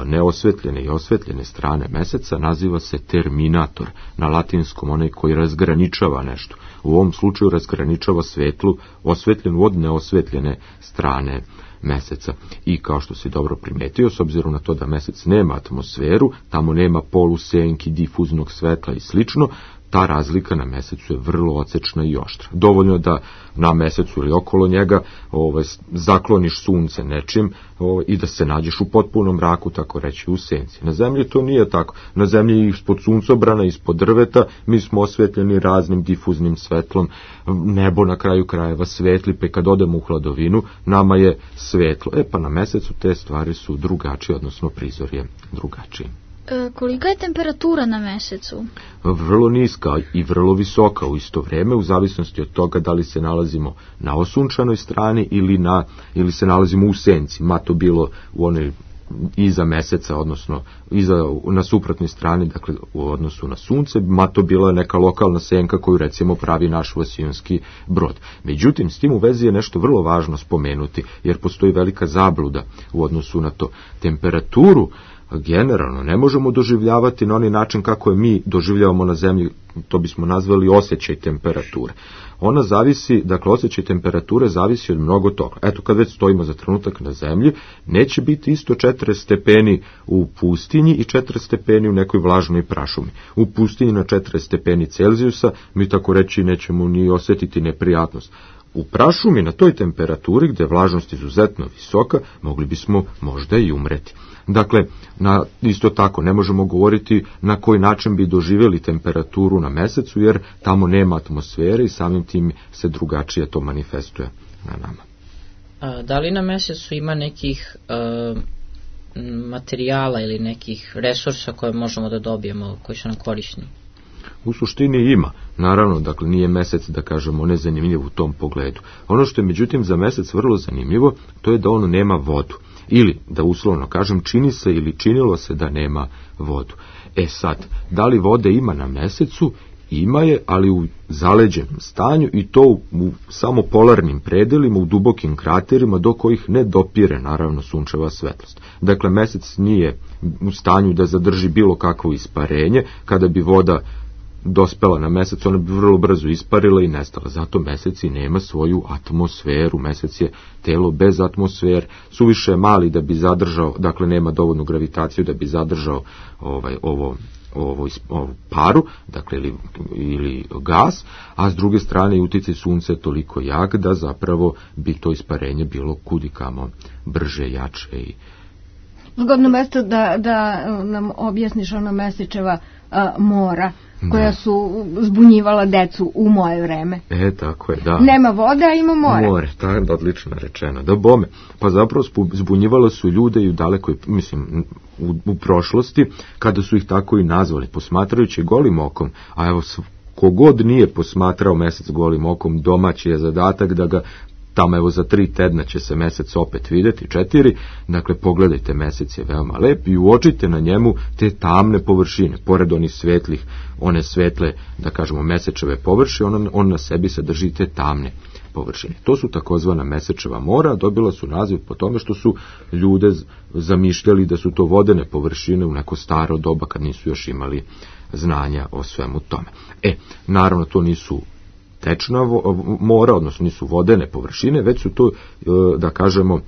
neosvetljene i osvetljene strane meseca, naziva se terminator, na latinskom onaj koji razgraničava nešto. U ovom slučaju razgraničava svetlu osvetljenu od neosvetljene strane meseca. I kao što si dobro primetio, s obzirom na to da mesec nema atmosferu, tamo nema polusenki, difuznog svetla i slično, ta razlika na mesecu je vrlo odsečna i oštra. Dovoljno da na mesecu ili okolo njega zakloniš sunce nečim i da se nađeš u potpunom mraku, tako reći, u senci. Na zemlji to nije tako. Na zemlji ispod suncobrana, ispod drveta, mi smo osvetljeni raznim difuznim svetlom, nebo na kraju krajeva svetli, pa kad odemo u hladovinu, nama je svetlo. Pa na mesecu te stvari su drugačije, odnosno prizor je drugačiji. Kolika je temperatura na mesecu? Vrlo niska i vrlo visoka u isto vrijeme, u zavisnosti od toga da li se nalazimo na osunčanoj strani ili se nalazimo u senci, ma to bilo u onoj iza meseca, odnosno na suprotnoj strani, dakle u odnosu na sunce, ma to bila neka lokalna senka koju recimo pravi naš vasionski brod. Međutim, s tim u vezi je nešto vrlo važno spomenuti, jer postoji velika zabluda u odnosu na to. Temperaturu generalno ne možemo doživljavati na onaj način kako je mi doživljavamo na zemlji, to bismo nazvali osjećaj temperature. Ona zavisi, dakle osjećaj temperature zavisi od mnogo toga. Eto, kad već stojimo za trenutak na zemlji, neće biti isto 40 stepeni u pustinji i 40 stepeni u nekoj vlažnoj prašumi. U pustinji na 40 stepeni Celzijusa mi tako reći nećemo ni osjetiti neprijatnost. U prašumi na toj temperaturi gdje je vlažnost izuzetno visoka, mogli bismo možda i umreti. Dakle, isto tako ne možemo govoriti na koji način bi doživjeli temperaturu na mesecu, jer tamo nema atmosfere i samim tim se drugačije to manifestuje na nama. Da li na mesecu ima nekih materijala ili nekih resursa koje možemo da dobijemo, koji su nam korisni? U suštini ima. Naravno, dakle, nije mesec, da kažemo, nezanimljiv u tom pogledu. Ono što je, međutim, za mesec vrlo zanimljivo, to je da ono nema vodu. Ili, da uslovno kažem, čini se ili činilo se da nema vodu. Sad, da li vode ima na mesecu? Ima je, ali u zaleđenom stanju i to u samo polarnim predelima, u dubokim kraterima do kojih ne dopire, naravno, sunčeva svetlost. Dakle, mesec nije u stanju da zadrži bilo kakvo isparenje. Kada bi voda dospela na mesec, ona bi vrlo brzo isparila i nestala. Zato mesec i nema svoju atmosferu. Mesec je telo bez atmosfere, suviše mali da bi zadržao, dakle nema dovoljnu gravitaciju da bi zadržao ovu paru, dakle ili gas, a s druge strane uticaj sunca je toliko jak da zapravo bi to isparenje bilo kudikamo brže, jače i zgodno mesto da nam objasniš ona Mesečeva mora koja su zbunjivala decu u moje vreme. Tako je, da. Nema vode, a ima more. More, tako je odlično rečeno. Da bome, pa zapravo zbunjivala su ljude i u dalekoj, mislim, u prošlosti, kada su ih tako i nazvali, posmatrajući golim okom, a evo, kogod nije posmatrao mesec golim okom, domaći je zadatak da ga tamo evo za 3 tedna će se mesec opet videti, 4, dakle pogledajte, mesec je veoma lep i uočite na njemu te tamne površine, pored onih svetlih, one svetle, da kažemo, mesečeve površine, on na sebi sadrži te tamne površine. To su takozvana mesečeva mora, dobila su naziv po tome što su ljude zamišljali da su to vodene površine u neko staro doba kad nisu još imali znanja o svemu tome. Naravno, to nisu tečna mora, odnosno nisu vodene površine, već su to, da kažemo,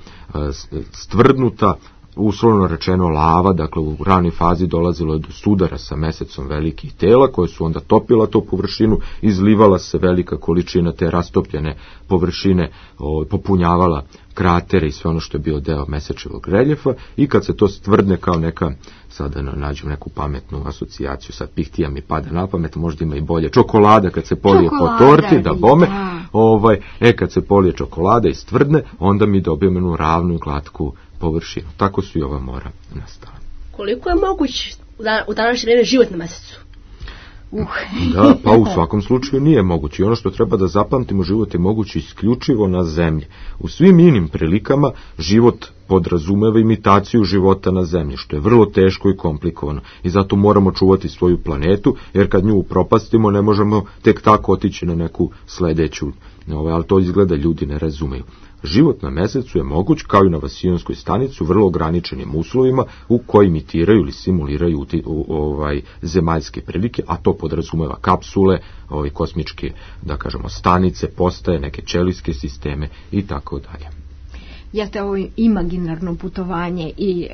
stvrdnuta, uslovno rečeno lava, dakle u ranoj fazi dolazilo je do sudara sa mesecom velikih tela, koje su onda topila tu površinu, izlivala se velika količina te rastopljene površine, popunjavala kratere i sve ono što je bio deo mesečevog reljefa, i kad se to stvrdne kao neka, sada nađem neku pametnu asocijaciju, sad pihtija mi pada na pamet, možda ima i bolje, čokolada kad se polije po torti, da bome, kad se polije čokolada i stvrdne, onda mi dobijemo jednu ravnu i glatku površinu. Tako su i ova mora nastala. Koliko je moguć u današnje vrijeme život na mesecu? Da, pa u svakom slučaju nije moguće. I ono što treba da zapamtimo, život je moguć isključivo na zemlji. U svim inim prilikama život podrazumeva imitaciju života na zemlji, što je vrlo teško i komplikovano. I zato moramo čuvati svoju planetu, jer kad nju upropastimo ne možemo tek tako otići na neku sledeću. Ali to izgleda ljudi ne razumeju. Život na mesecu je moguć, kao i na Vasijonskoj stanici, u vrlo ograničenim uslovima u koji imitiraju ili simuliraju zemaljske prilike, a to podrazumeva kapsule, kosmičke, da kažemo, stanice, postaje, neke ćelijske sisteme i tako dalje. Jeste ovo imaginarno putovanje i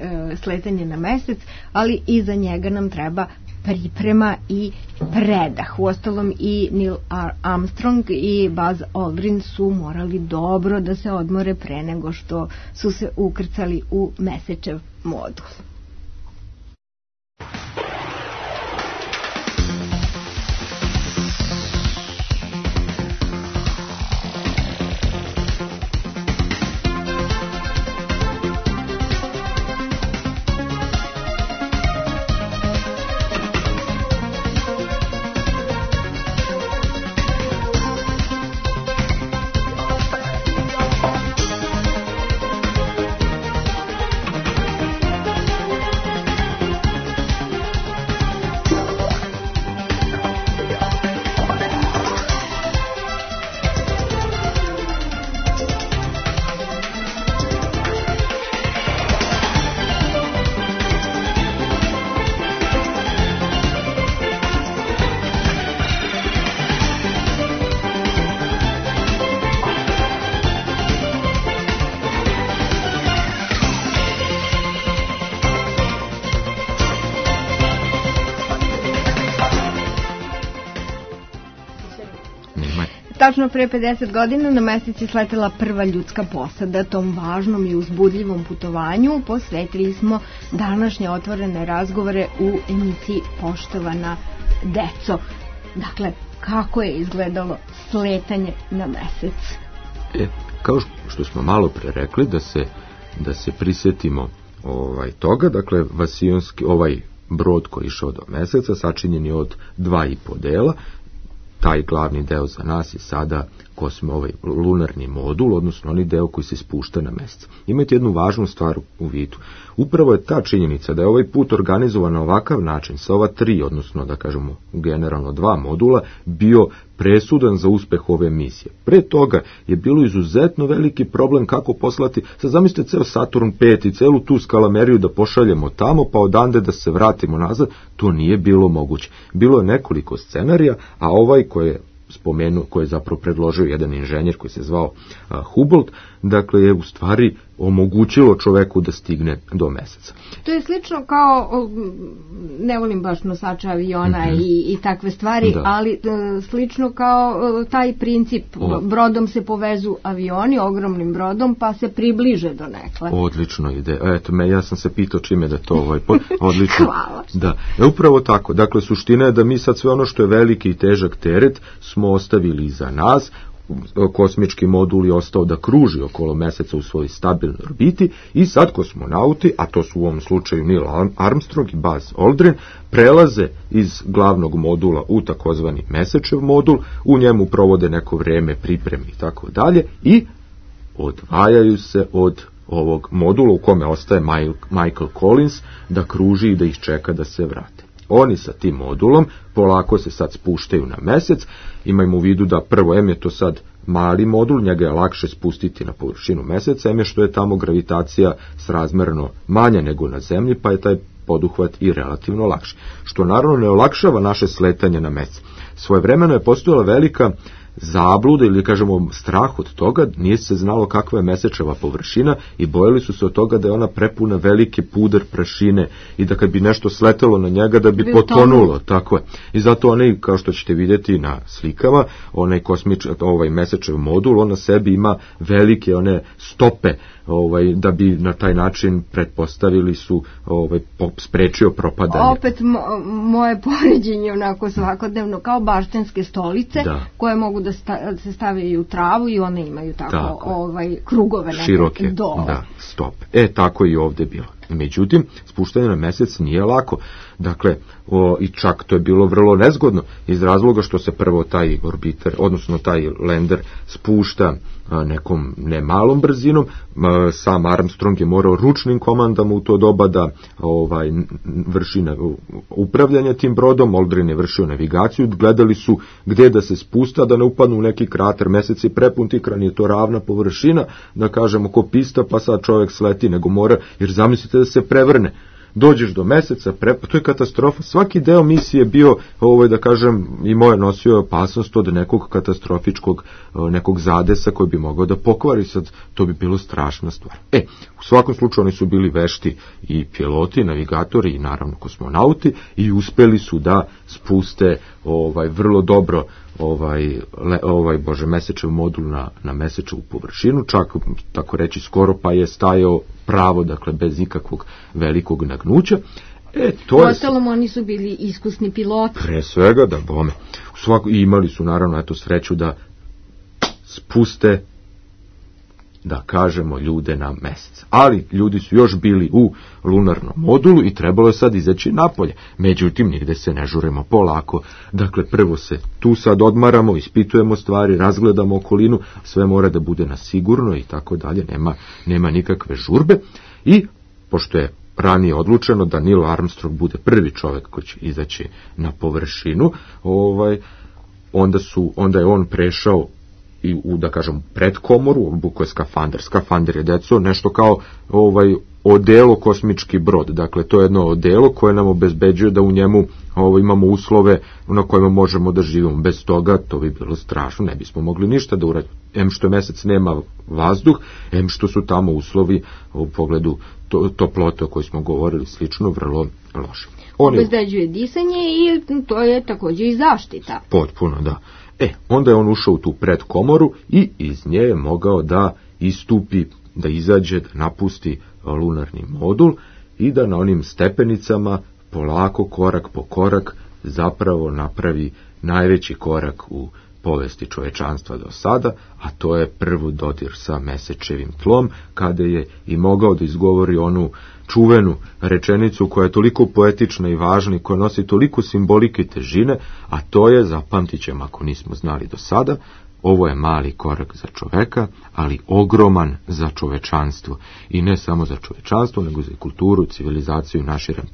sletanje na mesec, ali iza njega nam treba priprema i predah. Uostalom i Neil Armstrong i Buzz Aldrin su morali dobro da se odmore pre nego što su se ukrcali u mesečev modul. Tačno pre 50 godina na mesec je sletela prva ljudska posada. Tom važnom i uzbudljivom putovanju posvetili smo današnje otvorene razgovore u emisiji Poštovana deco. Dakle, kako je izgledalo sletanje na mesec? Kao što smo malo pre rekli, da se prisjetimo toga, dakle, Vasijonski, brod koji je išao do meseca, sačinjen je od 2,5 dela. Taj glavni deo za nas je sada lunarni modul, odnosno onaj deo koji se spušta na mesec. Imajte jednu važnu stvar u vidu. Upravo je ta činjenica da je ovaj put organizovan na ovakav način, sa ova 3, odnosno da kažemo generalno 2 modula, bio presudan za uspeh ove misije. Pre toga je bilo izuzetno veliki problem kako poslati, sad zamislite ceo Saturn 5 i celu tu skalameriju da pošaljemo tamo, pa odande da se vratimo nazad, to nije bilo moguće. Bilo je nekoliko scenarija, a ovaj koji je spomenuo, koji je zapravo predložio jedan inženjer koji se zvao Hubble, dakle je u stvari omogućilo čoveku da stigne do meseca. To je slično kao, ne volim baš nosača aviona i takve stvari, ali slično kao taj princip, brodom se povezu avioni, ogromnim brodom, pa se približe do nekle. Odlično ide. Eto, ja sam se pitao čime da to odlično. Hvala. Da, upravo tako. Dakle, suština je da mi sad sve ono što je veliki i težak teret smo ostavili iza nas. Kosmički modul je ostao da kruži okolo meseca u svojoj stabilnoj orbiti i sad kosmonauti, a to su u ovom slučaju Neil Armstrong i Buzz Aldrin, prelaze iz glavnog modula u takozvani mesečev modul, u njemu provode neko vreme pripremi i tako dalje i odvajaju se od ovog modula u kome ostaje Michael Collins da kruži i da ih čeka da se vrate. Oni sa tim modulom polako se sad spuštaju na mesec. Imajmo u vidu da prvo je to sad mali modul, njega je lakše spustiti na površinu meseca, je što je tamo gravitacija srazmerno manja nego na zemlji, pa je taj poduhvat i relativno lakši. Što naravno ne olakšava naše sletanje na mesec. Svojevremeno je postojala velika zabluda ili kažemo strah od toga, nije se znalo kakva je mesečeva površina i bojali su se od toga da je ona prepuna velike puder prašine i da kad bi nešto sletelo na njega da bi potonulo, tako je. I zato onaj, kao što ćete vidjeti na slikama, ovaj mesečev modul, on na sebi ima velike one stope, da bi na taj način pretpostavili su sprečio propadanje. Opet moje poređenje onako svakodnevno kao baštenske stolice koje mogu da se stavljaju u travu i one imaju tako krugove široke stope. Tako i ovdje bilo. Međutim, spuštanje na mesec nije lako. Dakle, i čak to je bilo vrlo nezgodno iz razloga što se prvo taj orbiter, odnosno taj lander spušta nekom nemalom brzinom. Sam Armstrong je morao ručnim komandama u to doba da vrši upravljanje tim brodom. Aldrin je vršio navigaciju, gledali su gdje da se spusta, da ne upadnu u neki krater. Mesec je prepun tikran, je to ravna površina, da kažemo ko pista, pa sad čovjek sleti, nego mora, jer zamislite da se prevrne. Dođeš do meseca, to je katastrofa. Svaki deo misije je bio, da kažem, imao je nosio opasnost od nekog katastrofičkog, nekog zadesa koji bi mogao da pokvari, sad to bi bilo strašna stvar. U svakom slučaju oni su bili vešti i piloti, navigatori i naravno kosmonauti i uspeli su da spuste vrlo dobro mesečev modul na mesečevu površinu, čak tako reći skoro pa je stajao pravo, dakle bez ikakvog velikog nagnuća. Ostalom oni su bili iskusni piloti. Pre svega, da bome. I imali su naravno sreću da spuste, da kažemo, ljude na mesec. Ali ljudi su još bili u lunarnom modulu i trebalo je sad izaći napolje. Međutim, nigde se ne žuremo, polako. Dakle, prvo se tu sad odmaramo, ispitujemo stvari, razgledamo okolinu, sve mora da bude na sigurno i tako dalje, nema nikakve žurbe. I, pošto je ranije odlučeno da Neil Armstrong bude prvi čovjek koji će izaći na površinu, onda je on prešao i u, da kažem, predkomoru, obuko je skafander. Skafander je, deco, nešto kao odelo kosmički brod. Dakle, to je jedno odelo koje nam obezbeđuje da u njemu imamo uslove na kojima možemo da živimo. Bez toga to bi bilo strašno, ne bismo mogli ništa da uradimo. Em što mesec nema vazduh, em što su tamo uslovi u pogledu toplote o kojoj smo govorili slično vrlo loše. Obezbeđuje disanje i to je također i zaštita. Potpuno, da. Onda je on ušao u tu predkomoru i iz nje je mogao da istupi, da izađe, da napusti lunarni modul i da na onim stepenicama polako, korak po korak, zapravo napravi najveći korak u povesti čovečanstva do sada, a to je prvi dodir sa mesečevim tlom, kada je i mogao da izgovori onu čuvenu rečenicu koja je toliko poetična i važna i koja nosi toliko simbolike i težine, a to je, zapamtit ćemo ako nismo znali do sada, ovo je mali korak za čoveka, ali ogroman za čovečanstvo. I ne samo za čovečanstvo, nego za kulturu, civilizaciju, naširem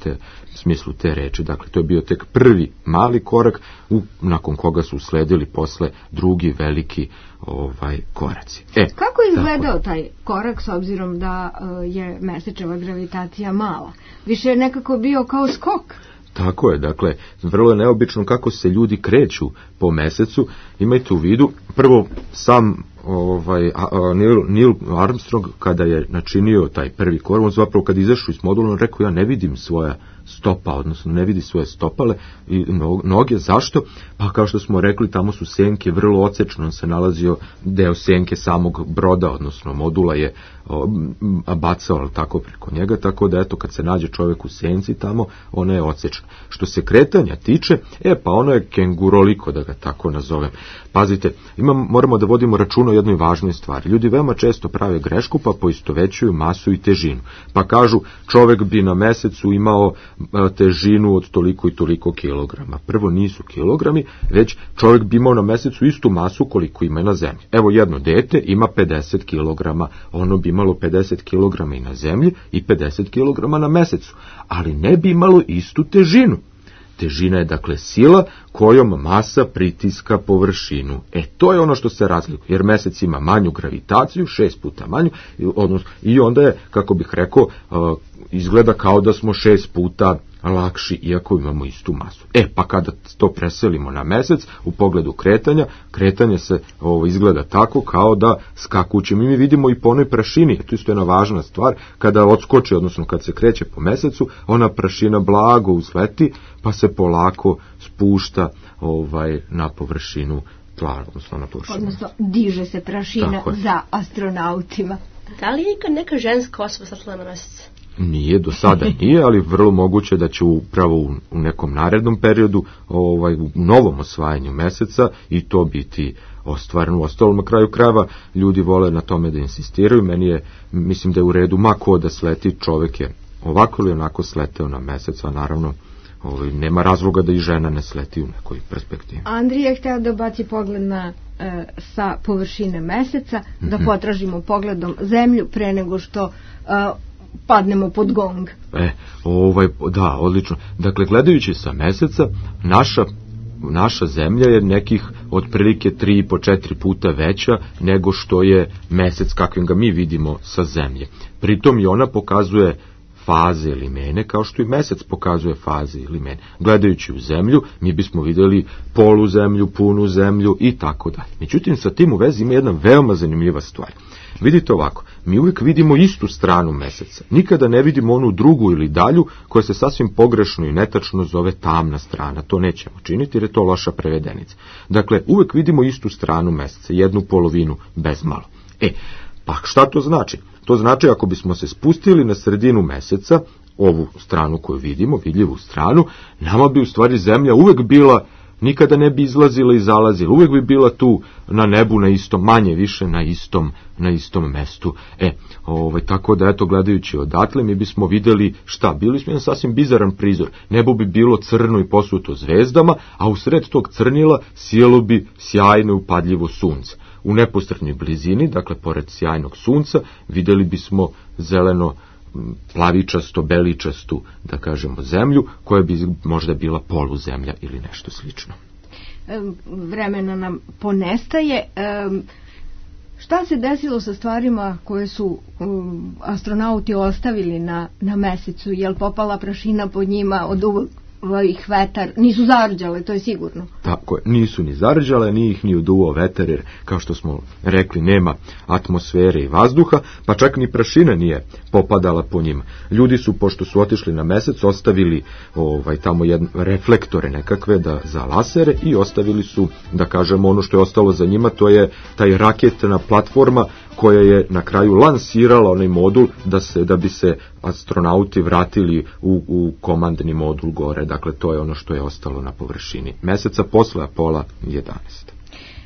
smislu te reči. Dakle, to je bio tek prvi mali korak, nakon koga su usledili posle drugi veliki koraci. Kako je izgledao taj korak s obzirom da je mesečeva gravitacija mala? Više je nekako bio kao skok. Tako je, dakle, vrlo je neobično kako se ljudi kreću po mesecu. Imajte u vidu, prvo sam Neil Armstrong kada je načinio taj prvi korak, on zapravo kad izašao iz modula, on rekao ja ne vidim svoja stopa, odnosno ne vidi svoje stopale i noge. Zašto? Pa kao što smo rekli, tamo su senke, vrlo odsečno se nalazio deo senke samog broda, odnosno modula je bacao tako preko njega, tako da eto kad se nađe čovjek u senci tamo, ona je odsečna. Što se kretanja tiče, pa ono je kenguroliko, da ga tako nazovem. Pazite, moramo da vodimo računa o jednoj važnoj stvari. Ljudi veoma često prave grešku pa poistovećuju masu i težinu. Pa kažu čovek bi na mesecu imao težinu od toliko i toliko kilograma. Prvo nisu kilogrami, već čovek bi imao na mesecu istu masu koliko ima i na zemlji. Evo jedno dete ima 50 kilograma, ono bi imalo 50 kilograma i na zemlji i 50 kilograma na mesecu, ali ne bi imalo istu težinu. Težina je dakle sila kojom masa pritiska površinu. To je ono što se razlikuje, jer mesec ima manju gravitaciju, 6 puta manju, i onda je, kako bih rekao, izgleda kao da smo 6 puta lakši, iako imamo istu masu. Pa kada to preselimo na mesec, u pogledu kretanje se izgleda tako kao da skakuće. Mi vidimo i po onoj prašini, to isto je jedna važna stvar, kada odskoči, odnosno kad se kreće po mesecu, ona prašina blago uzleti, pa se polako spušta na površinu tla, odnosno na površinu. Odnosno, diže se prašina za astronautima. Da li je neka ženska osoba satila na mesec? Nije, do sada nije, ali vrlo moguće da će upravo u nekom narednom periodu, u novom osvajanju meseca, i to biti ostvareno. Ostalo na kraju krajeva ljudi vole na tome da insistiraju. Mislim da je u redu ma ko da sleti, čovek je ovako ili onako sleteo na mesec, a naravno nema razloga da i žena ne sleti u nekoj perspektivi. Andrija je hteo da baci pogled sa površine meseca, da potražimo pogledom zemlju pre nego što padnemo pod gong. Da, odlično. Dakle, gledajući sa meseca, naša zemlja je nekih otprilike 3,5-4 puta veća nego što je mesec kakvim ga mi vidimo sa zemlje. Pritom i ona pokazuje faze ili mene, kao što i mesec pokazuje faze ili mene. Gledajući u zemlju, mi bismo vidjeli polu zemlju, punu zemlju i tako dalje. Međutim, sa tim u vezi ima jedna veoma zanimljiva stvar. Vidite ovako, mi uvijek vidimo istu stranu meseca. Nikada ne vidimo onu drugu ili dalju koja se sasvim pogrešno i netačno zove tamna strana. To nećemo činiti jer je to loša prevedenica. Dakle, uvijek vidimo istu stranu meseca, jednu polovinu bez malo. Pa šta to znači? To znači ako bismo se spustili na sredinu meseca, ovu stranu koju vidimo, vidljivu stranu, nama bi u stvari zemlja uvijek bila, nikada ne bi izlazila i zalazila, uvijek bi bila tu na nebu na istom, manje više na istom mestu. Tako da, gledajući odatle, mi bismo vidjeli šta? Bili smo jedan sasvim bizaran prizor. Nebo bi bilo crno i posuto zvezdama, a u sred tog crnila sjelo bi sjajno i upadljivo sunce. U neposrednoj blizini, dakle pored sjajnog sunca, vidjeli bismo zeleno plavičasto, beličastu, da kažemo, zemlju, koja bi možda bila poluzemlja ili nešto slično. Vremena nam ponestaje. Šta se desilo sa stvarima koje su astronauti ostavili na mesecu? Je li popala prašina pod njima od ovih vetar? Nisu zarđale, to je sigurno. Tako je, nisu ni zarđale, nije ih ni uduvao vetar, jer kao što smo rekli, nema atmosfere i vazduha, pa čak ni prašina nije popadala po njima. Ljudi su, pošto su otišli na mesec, ostavili tamo reflektore nekakve za lasere i ostavili su, da kažemo, ono što je ostalo za njima, to je taj raketna platforma koja je na kraju lansirala onaj modul da bi se astronauti vratili u komandni modul gore. Dakle, to je ono što je ostalo na površini meseca posle Apola 11.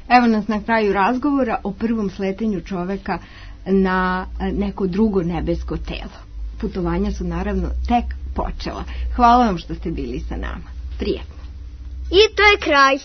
Evo nas na kraju razgovora o prvom sletenju čoveka na neko drugo nebesko telo. Putovanja su naravno tek počela. Hvala vam što ste bili sa nama. Prijetno. I to je kraj.